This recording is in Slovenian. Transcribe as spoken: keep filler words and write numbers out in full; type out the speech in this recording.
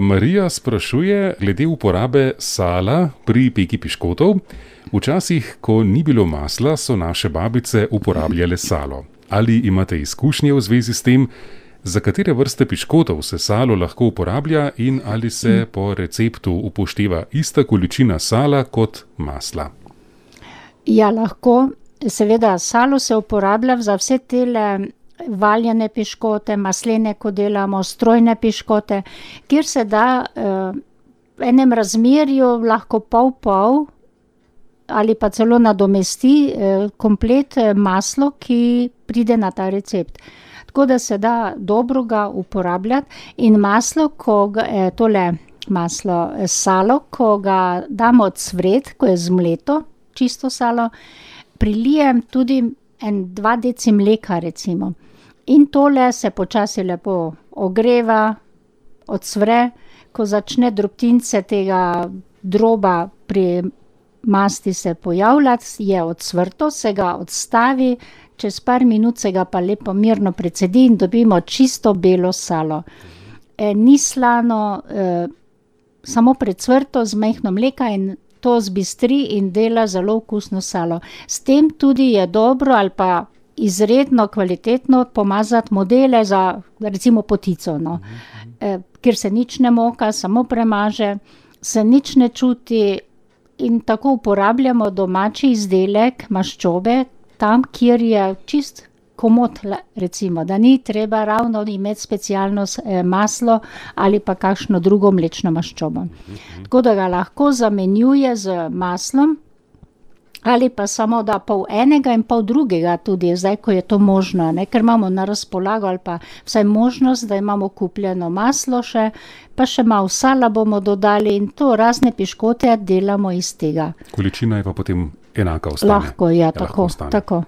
Marija sprašuje glede uporabe sala pri peki piškotov. Včasih, ko ni bilo masla, so naše babice uporabljale salo. Ali imate izkušnje v zvezi s tem, za katere vrste piškotov se salo lahko uporablja in ali se po receptu upošteva ista količina sala kot masla? Ja, lahko. Seveda, salo se uporablja za vse tele valjane piškote, maslene, ko delamo, strojne piškote, kjer se da uh, v enem razmerju lahko pol-pol ali pa celo nadomesti uh, komplet maslo, ki pride na ta recept. Tako da se da dobro ga uporabljati in maslo, ko ga, eh, tole maslo, salo, ko ga damo odsvret, ko je zmleto, čisto salo, prilijem tudi en dva deci mleka recimo. In tole se počasi lepo ogreva, odsvre, ko začne drobtince tega droba pri masti se pojavljati, je odsvrto, se ga odstavi, čez par minut se ga pa lepo mirno precedi in dobimo čisto belo salo. E, ni slano, e, samo precvrto z majhno mleka in to zbistri in dela zelo okusno salo. S tem tudi je dobro ali pa izredno kvalitetno pomazati modele za recimo potico, no. E, kjer se nič ne moka, samo premaže, se nič ne čuti in tako uporabljamo domači izdelek maščobe tam, kjer je čist komot, recimo, da ni treba ravno imeti specialno eh, maslo ali pa kakšno drugo mlečno maščobo. Tako da ga lahko zamenjuje z maslom ali pa samo da pol enega in pol drugega tudi, zdaj, ko je to možno, ne, ker imamo na razpolago ali pa vsaj možnost, da imamo kupljeno maslo še, pa še malo sala bomo dodali in to razne piškote delamo iz tega. Količina je pa potem enaka ostane. Lahko, ja, tako, tako.